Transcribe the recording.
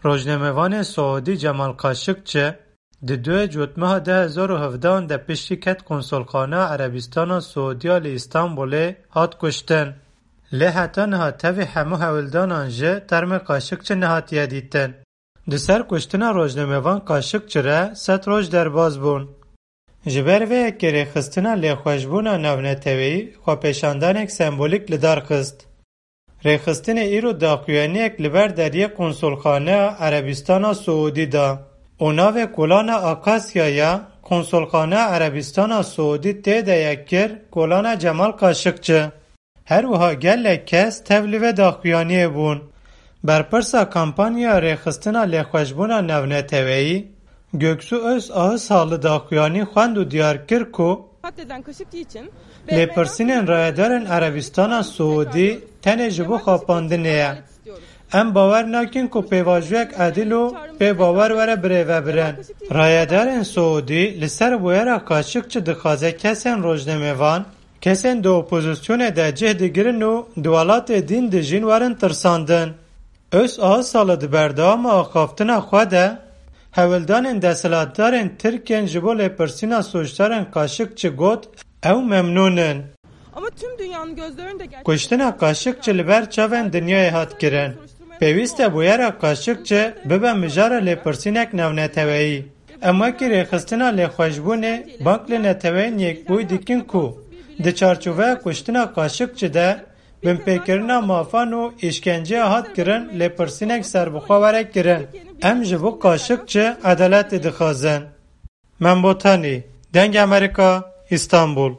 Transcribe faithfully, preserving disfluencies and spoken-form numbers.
Rojnamevanê Siûdî Cemal Kaşikçi di duê Cotmeha du hezar û hevdehan de piştî ket konsolxaneya Erebistana Siûdiya li Îstanbulê hat kuştin. Lê heta niha tevî hemû hewldanan jî termê Kaşikçi nehatiye dîtin. Di ser kuştina rojnamevan Kaşikçi re sed roj derbas bûn. Ji ber vê yekê rêxistina lêxweşbûna navneteweyî xwepêşandanek sembolîk li dar xist. Rêxistinê îro daxuyaniyek li ber deriyê konsolxaneya Erebistana Siûdî da û navê kolana Akasya ya konsolxaneya Erebistana Siûdî tê de ye kir kolana Cemal Kaşikçi. Her wiha gelek kes tev li vê daxuyaniyê bûn. Berpirsa kampanya rêxistina lêxweşbûna navneteweyî, Göksu Öz Ağızhalı daxuyanî xwend û diyar kir ku Katledilen Kaşıkçı için lêpirsînên rayedarên Erebistana Siûdî tenê ji bo xapandinê ye. Em bawer nakin ku pêvajoyek edil û pê bawer were birêvebirin. Rayedarên Siûdî li ser bûyera Kaşikçi dixwaze kesên rojnamevan, kesên di opozisyonê de cih digirin û di welatê din dijîn werin tirsandin. Öz Ağızhalı di berdewama axaftina xwe de hewldanên desthilatdarên Tirk ên ji bo lêpirsîna sûcdarên Kaşikçi got, ew memnûn in. Ama tüm dünyanın gözlerinde gerçekleşen Kuştina Kaşikçi li ber çavên dinyayê hat kirin. Pêwîst e bûyera Kaşikçi bibe mijara lêpirsînek navneteweyî. Em wekî rêxistina lêxweşbûnê bang li Neteweyên Yekbûyî dikin ku di çarçoveya kuştina Kaşikçi de binpêkirina mafan û îşkenceya hat kirin lêpirsînek serbixwe were kirin. Em ji bo Kaşikçi edaletê dixwazin. Mem Botanî, Dengê Amerîka, Îstanbul.